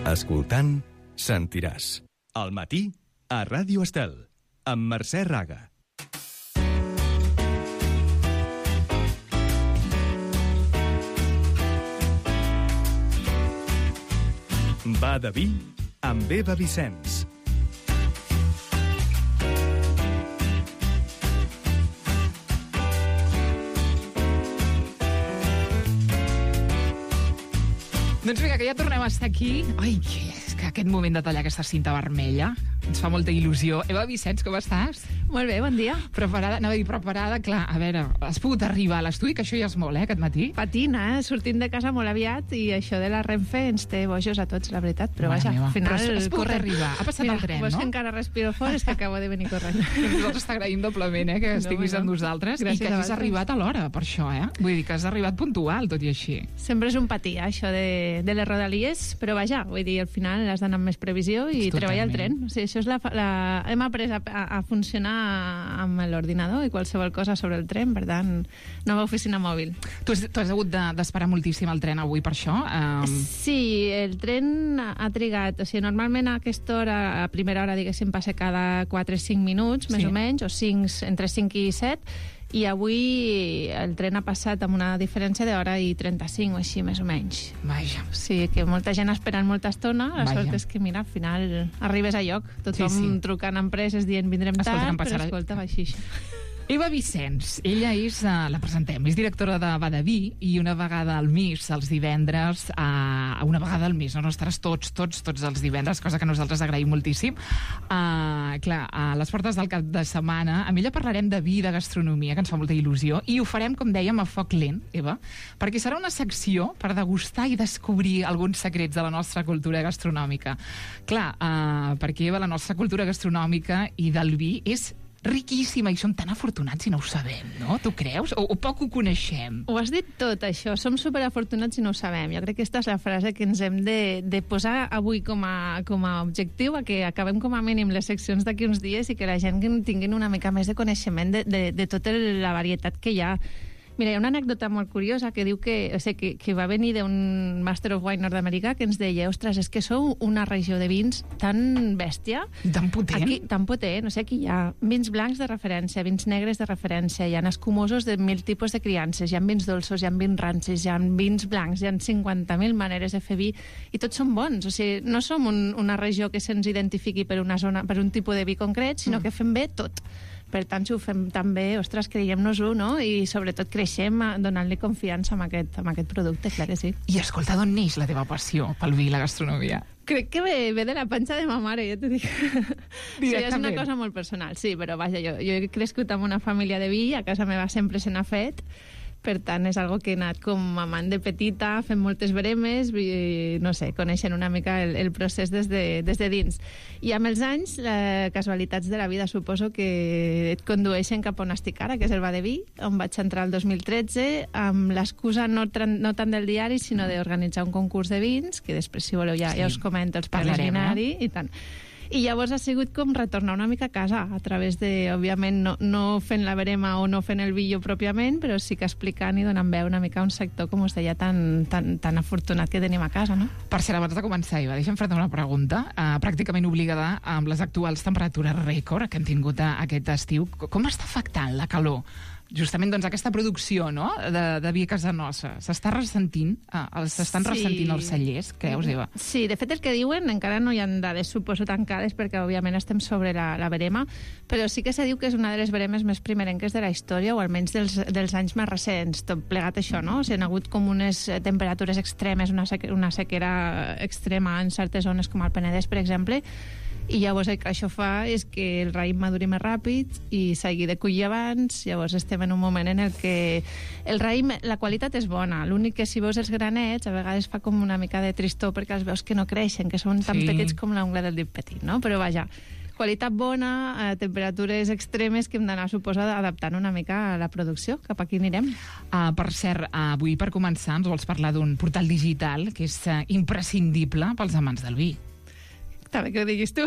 Escoltant, sentiràs. Al matí, a Ràdio Estel, amb Mercè Raga. Va de vi amb Eva Vicenç. Doncs vinga, que ja tornem a estar aquí. Ai, és que aquest moment de tallar aquesta cinta vermella ens fa molta il·lusió. Eva Vicenç, com estàs? Molt bé, bon dia. Preparada, anava a dir preparada, clar, a veure, has pogut arribar a l'estudi, que això ja és molt, aquest matí? Patina, sortint de casa molt aviat i això de la Renfe ens té bojos a tots, la veritat, però vaja, al final... Però has pogut arribar, ha passat el tren, no? Mira, que encara respiro fort, és que acabo de venir corrent. Nosaltres t'agraïm doblement, que estiguis amb nosaltres i que hagis arribat a l'hora, per això, Vull dir que has arribat puntual, tot i així. Sempre és un patí, això de les rodalies, però vaja, vull dir, al final has d'anar amb més previsió i treballar al tren. O sigui, això és hem après a funcionar amb l'ordinador i qualsevol cosa sobre el tren, per tant, nova oficina mòbil. Tu has hagut d'esperar moltíssim el tren avui per això? Sí, el tren ha trigat, o sigui, normalment a aquesta hora, a primera hora, diguéssim, passa cada 4 o 5 minuts, més o menys, o entre 5 i 7, i avui el tren ha passat amb una diferència d'hora i 35 o així, més o menys. Vaja. Sí, que molta gent esperant molta estona. La sort és que, mira, al final arribes a lloc. Tothom trucant a empreses dient vindrem tard, però escolta, va així. Eva Vicenç, ella és, la presentem, és directora de Va de Vi i una vegada al mes, els divendres, una vegada al mes, no estaràs tots els divendres, cosa que nosaltres agraïm moltíssim. Clar, a les portes del cap de setmana, amb ella parlarem de vi i de gastronomia, que ens fa molta il·lusió, i ho farem, com dèiem, a foc lent, Eva, perquè serà una secció per degustar i descobrir alguns secrets de la nostra cultura gastronòmica. Clar, perquè, Eva, la nostra cultura gastronòmica i del vi és riquíssima i som tan afortunats i no ho sabem, no? Tu creus? O poc ho coneixem? Ho has dit tot, això. Som superafortunats i no ho sabem. Jo crec que aquesta és la frase que ens hem de posar avui com a objectiu, a que acabem com a mínim les seccions d'aquí uns dies i que la gent tinguin una mica més de coneixement de tota la varietat que hi ha. Mira, hi ha una anècdota molt curiosa que diu que va venir d'un Master of Wine nord-americà que ens deia, ostres, és que sou una regió de vins tan bèstia. Tan potent. Aquí, tan potent. O sigui, aquí hi ha vins blancs de referència, vins negres de referència, hi ha escumosos de 1000 tipus de criances, hi ha vins dolços, hi ha vins rancis, hi ha vins blancs, hi ha 50.000 maneres de fer vi i tots són bons. O sigui, no som una regió que se'ns identifiqui per una zona, per un tipus de vi concret, sinó que fem bé tot. Per tant, si ho fem tan bé, ostres, creiem-nos-ho, no? I sobretot creixem donant-li confiança amb aquest producte, clar que sí. I escolta, d'on neix la teva passió pel vi i la gastronomia? Crec que ve de la panxa de ma mare, ja t'ho dic. Sí, és una cosa molt personal, sí, però vaja, jo he crescut amb una família de vi, a casa meva sempre se n'ha fet, per tant, és algo que he anat com amant de petita, fent moltes bremes, i, no sé, coneixent una mica el procés des de dins. I amb els anys, casualitats de la vida, suposo que et condueixen cap on estic ara, que és el Va de Vi, on vaig entrar el 2013, amb l'excusa no tant del diari, sinó d'organitzar un concurs de vins, que després, si voleu, ja us comento els preliminari i tant. I llavors ha sigut com retornar una mica a casa, a través de, òbviament, no fent la verema o no fent el vi pròpiament, però sí que explicant i donant veu una mica a un sector, com us deia, tan afortunat que tenim a casa, no? Per cert, abans de començar, Eva, deixa'm fer-te una pregunta, pràcticament obligada amb les actuals temperatures rècord que hem tingut aquest estiu. Com està afectant la calor justament doncs, aquesta producció, no?, de vi a casa nostra? S'estan ressentint els cellers, creus, Eva? Sí, de fet el que diuen, encara no hi ha dades, suposo, tancades, perquè òbviament estem sobre la verema, però sí que se diu que és una de les veremes més primerenques de la història, o almenys dels anys més recents, tot plegat això, no? O sigui, han hagut com unes temperatures extremes, una sequera extrema en certes zones com el Penedès, per exemple, i llavors el que això fa és que el raïm maduri més ràpid i s'hagi de collir abans. Llavors estem en un moment en el que el raïm, la qualitat és bona, l'únic que si veus els granets a vegades fa com una mica de tristor perquè els veus que no creixen, que són tan petits com l'ungla del dit petit, no? Però vaja, qualitat bona, temperatures extremes que hem d'anar, suposa, adaptant una mica a la producció. Cap aquí anirem. Per cert, avui per començar ens vols parlar d'un portal digital que és imprescindible pels amants del vi. Està bé que ho diguis tu.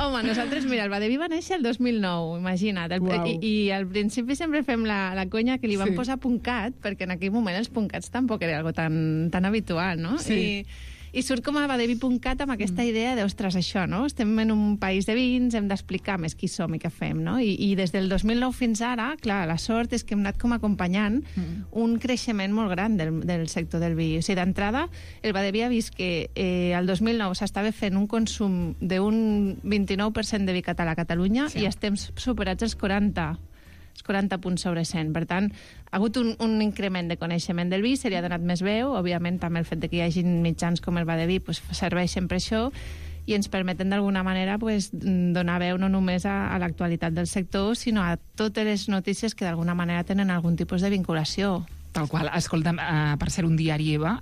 Home, nosaltres, mira, el Badeví va néixer el 2009, imagina't. I al principi sempre fem la conya que li van posar puncat, perquè en aquell moment els puncats tampoc era algo tan habitual, no? Sí. I surt com a Badeví.cat amb aquesta idea de, ostres, això, no? Estem en un país de vins, hem d'explicar més qui som i què fem, no? I des del 2009 fins ara, clar, la sort és que hem anat com acompanyant un creixement molt gran del sector del vi. O sigui, d'entrada, el Badeví ha vist que el 2009 s'estava fent un consum d'un 29% de vi català a Catalunya i estem superats els 40 punts sobre 100. Per tant, ha hagut un increment de coneixement del vi, se li ha donat més veu, òbviament també el fet de que hi hagi mitjans com el Badeví pues, serveixen per això i ens permeten d'alguna manera pues, donar veu no només a l'actualitat del sector, sinó a totes les notícies que d'alguna manera tenen algun tipus de vinculació. Tal qual. Escolta'm, per ser un diari EVA,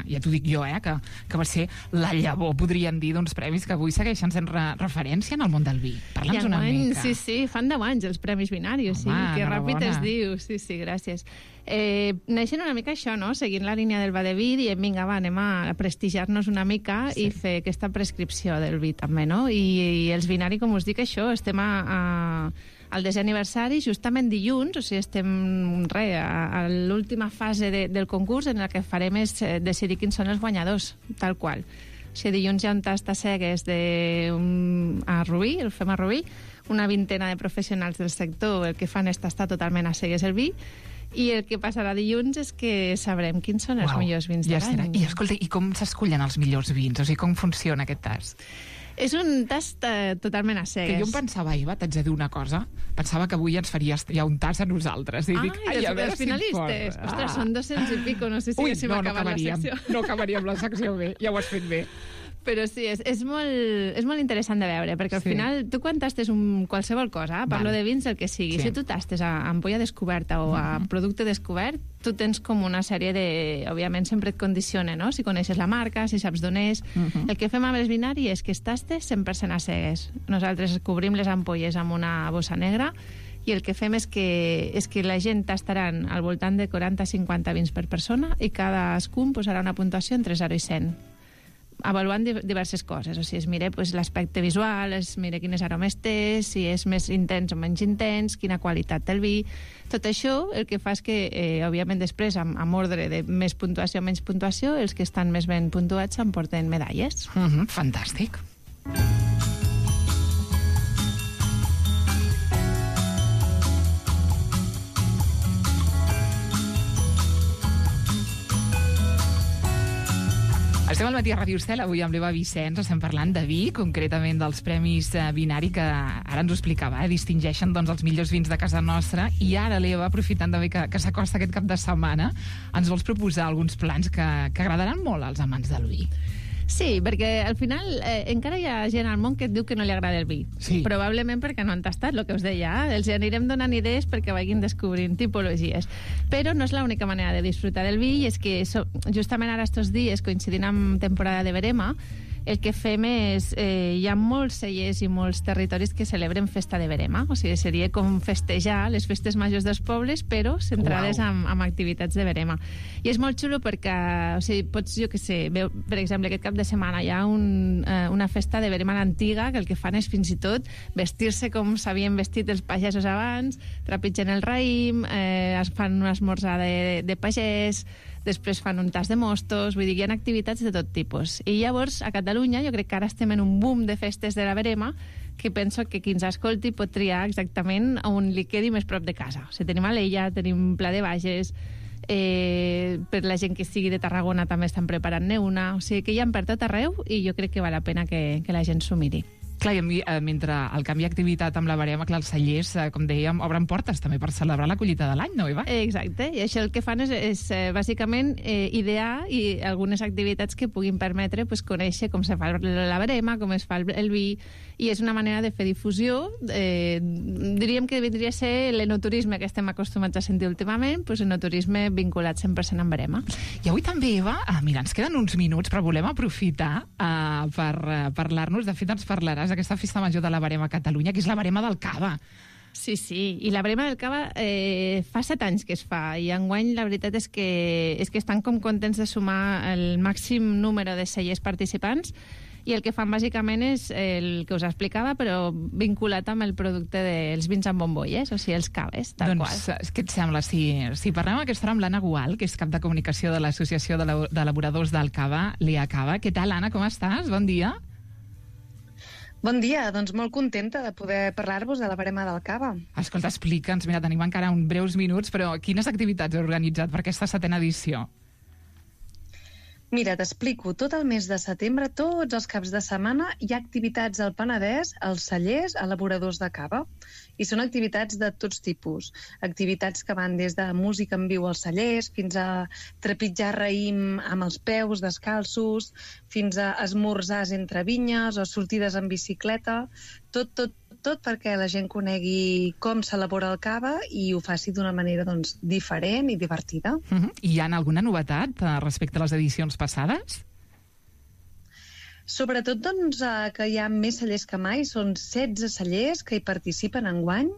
ja t'ho dic jo, que va ser la llavor, podríem dir, d'uns premis que avui segueixen sent referència en el món del vi. Parla'ns una mica. Sí, fan 10 anys els Premis Binari, o sigui, que ràpid es diu. Sí, gràcies. Neixen una mica això, no? Seguint la línia del Badeví, diem, vinga, va, anem a prestigiar-nos una mica i fer aquesta prescripció del vi, també, no? I els Binari, com us dic, això, estem al 10è aniversari, justament dilluns, o sigui, estem a l'última fase del concurs en la que farem és decidir quins són els guanyadors, tal qual. O sigui, dilluns hi ha un tast a cegues a Rubí, el fem a Rubí, una vintena de professionals del sector el que fan és tastar totalment a cegues el vi, i el que passarà dilluns és que sabrem quins són els millors vins de l'any. I escolta, i com s'escullen els millors vins? O sigui, com funciona aquest tast? És un tast totalment a cegues. Que jo em pensava, Eva, t'haig de dir una cosa, pensava que avui ens faries ja un tast a nosaltres. I dic, els finalistes. Ostres, són 200 i pico, no sé si haguéssim acabat la secció. No acabaríem la secció bé, ja ho has fet bé. Però sí, és molt interessant de veure, perquè al final tu quan tastes qualsevol cosa, parlo de vins, el que sigui, si tu tastes a ampolla descoberta o a producte descobert, tu tens com una sèrie de... Òbviament sempre et condiciona, no? Si coneixes la marca, si saps d'on és... El que fem amb els Binari és que es tastes 100% a cegues. Nosaltres cobrim les ampolles amb una bossa negra i el que fem és que la gent tastaran al voltant de 40-50 vins per persona i cadascun posarà una puntuació entre 0 i 100. Avaluant diverses coses, o sigui, es mira l'aspecte visual, es mira quines aromes té, si és més intens o menys intens, quina qualitat té el vi. Tot això el que fa és que, òbviament, després, amb ordre de més puntuació o menys puntuació, els que estan més ben puntuats s'emporten medalles. Fantàstic. Estem al matí a Ràdio Estel, avui amb l'Eva Vicenç, estem parlant de vi, concretament dels Premis Binari, que ara ens ho explicava, distingeixen doncs, els millors vins de casa nostra, i ara l'Eva, aprofitant també que s'acosta aquest cap de setmana, ens vols proposar alguns plans que agradaran molt als amants del vi. Sí, perquè al final encara hi ha gent al món que et diu que no li agrada el vi. Sí. Probablement perquè no han tastat, el que us deia. Els anirem donant idees perquè vagin descobrint tipologies. Però no és l'única manera de disfrutar del vi, i és que justament ara estos dies, coincidint amb temporada de verema, el que fem és... hi ha molts cellers i molts territoris que celebren festa de verema. O sigui, seria com festejar les festes majors dels pobles, però centrades en activitats de verema. I és molt xulo perquè, o sigui, pots, jo què sé, per exemple, aquest cap de setmana hi ha una festa de verema a l'antiga, que el que fan és fins i tot vestir-se com s'havien vestit els pagesos abans, trepitgen el raïm, es fan un esmorzar de pagès, després fan un tas de mostos, vull dir, hi ha activitats de tot tipus. I llavors, a Catalunya, jo crec que ara estem en un boom de festes de la verema, que penso que qui ens escolti pot triar exactament on li quedi més prop de casa. O sigui, tenim Alella, tenim Pla de Bages, per la gent que sigui de Tarragona també estan preparant-ne una, o sigui que hi ha per tot arreu i jo crec que val la pena que la gent s'ho miri. Clar, i mentre el canvi d'activitat amb la verema, clar, els cellers, com dèiem, obren portes també per celebrar la collita de l'any, no, Eva? Exacte, i això el que fan és bàsicament idear i algunes activitats que puguin permetre conèixer com se fa la verema, com es fa el vi, i és una manera de fer difusió. Diríem que vindria a ser l'enoturisme que estem acostumats a sentir últimament, enoturisme vinculat 100% amb verema. I avui també, Eva, mira, ens queden uns minuts, però volem aprofitar per parlar-nos, de fet ens parlaràs d'aquesta festa major de la verema a Catalunya, que és la verema del Cava. Sí, i la verema del Cava fa 7 anys que es fa, i enguany la veritat és que estan com contents de sumar el màxim número de cellers participants, i el que fan bàsicament és el que us explicava, però vinculat amb el producte dels vins amb bombolles, o sigui, els caves, tal qual. Doncs, què et sembla? Si parlem aquesta hora amb l'Anna Gual, que és cap de comunicació de l'Associació d'Elaboradors del Cava, l'IACAVA. Què tal, Anna, com estàs? Bon dia. Bon dia, doncs molt contenta de poder parlar-vos de la barema del cava. Escolta, explica'ns, mira, tenim encara uns breus minuts, però quines activitats heu organitzat per aquesta 7ª edició? Mira, t'explico. Tot el mes de setembre, tots els caps de setmana, hi ha activitats al Penedès, als cellers, elaboradors de cava. I són activitats de tots tipus. Activitats que van des de música en viu als cellers, fins a trepitjar raïm amb els peus descalços, fins a esmorzars entre vinyes o sortides en bicicleta. Tot perquè la gent conegui com s'elabora el cava i ho faci d'una manera diferent i divertida. Hi ha alguna novetat respecte a les edicions passades? Sobretot que hi ha més cellers que mai, són 16 cellers que hi participen enguany,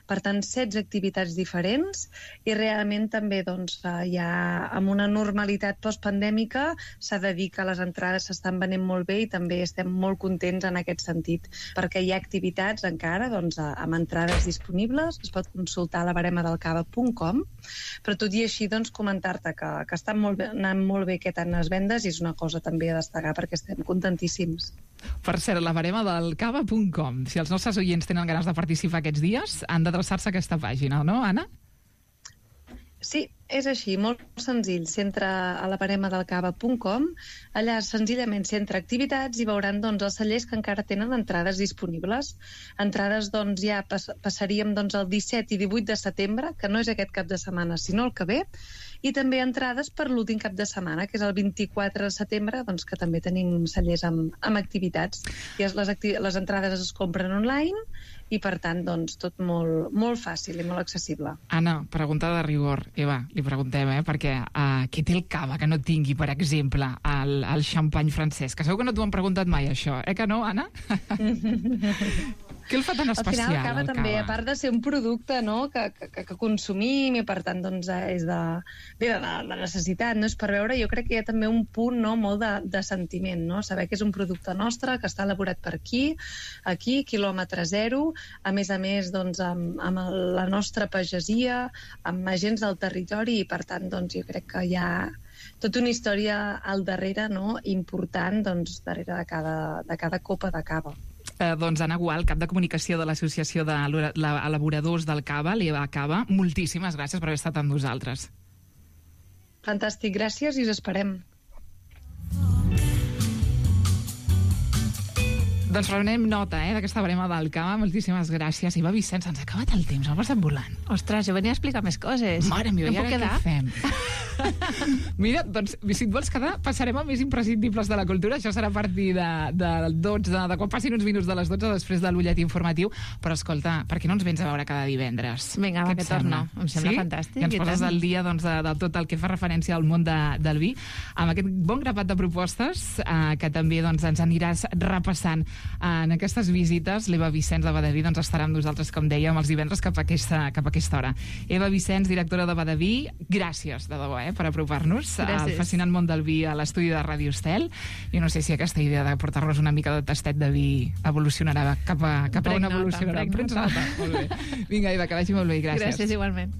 per tant 16 activitats diferents, i realment també hi ha, amb una normalitat postpandèmica, s'ha de dir que les entrades s'estan venent molt bé i també estem molt contents en aquest sentit, perquè hi ha activitats encara amb entrades disponibles, es pot consultar a la baremadalcava.com, però tot i així comentar-te que estan anant molt bé aquest any les vendes i és una cosa també a destacar perquè estem contentíssims. Per cert, la baremadalcava.com. Si els nostres oients tenen ganes de participar aquests dies, han d'adreçar-se a aquesta pàgina, no, Anna? Sí, és així, molt senzill. S'entra a la baremadalcava.com, allà senzillament s'entra activitats i veuran els cellers que encara tenen entrades disponibles. Entrades ja passaríem el 17 i 18 de setembre, que no és aquest cap de setmana, sinó el que ve, i també entrades per l'últim cap de setmana, que és el 24 de setembre, que també tenim cellers amb activitats. I les entrades es compren online i, per tant, tot molt fàcil i molt accessible. Anna, pregunta de rigor. Eva, li preguntem, perquè què té el cava que no tingui, per exemple, el xampany francès? Que segur que no t'ho han preguntat mai, això. Que no, Anna? Què el fa tan especial, el cava? També, a part de ser un producte que consumim i, per tant, és de necessitat, no és per veure, jo crec que hi ha també un punt molt de sentiment, saber que és un producte nostre, que està elaborat per aquí, quilòmetre zero, a més, amb la nostra pagesia, amb agents del territori i, per tant, jo crec que hi ha tota una història al darrere, important, darrere de cada copa de cava. Anna Gual, cap de comunicació de l'Associació d'Elaboradors del Cava, l'IACAVA, moltíssimes gràcies per haver estat amb nosaltres. Fantàstic, gràcies i us esperem. Doncs prenem nota d'aquesta barema del cava. Moltíssimes gràcies. Eva Vicenç, ens ha acabat el temps, ha passat volant. Ostres, jo venia a explicar més coses. Mare meva, i ara què fem? Mira, doncs, si et vols quedar, passarem a més imprescindibles de la cultura. Això serà a partir del 12, de quan passin uns minuts de les 12, després de l'ullet informatiu. Però, escolta, per què no ens vens a veure cada divendres? Vinga, va, que torno. Em sembla fantàstic. I ens poses al dia de tot el que fa referència al món del vi, amb aquest bon grapat de propostes que també ens aniràs repassant en aquestes visites. L'Eva Vicenç de Badaví estarà amb nosaltres, com dèiem, els divendres cap a aquesta hora. Eva Vicenç, directora de Badaví, gràcies, de debò, per apropar-nos al fascinant món del vi a l'estudi de Ràdio Estel. Jo no sé si aquesta idea de portar-nos una mica de tastet de vi evolucionarà cap a on evolucionarà. Prens nota. Molt bé. Vinga, Eva, que vagi molt bé. Gràcies. Gràcies, igualment.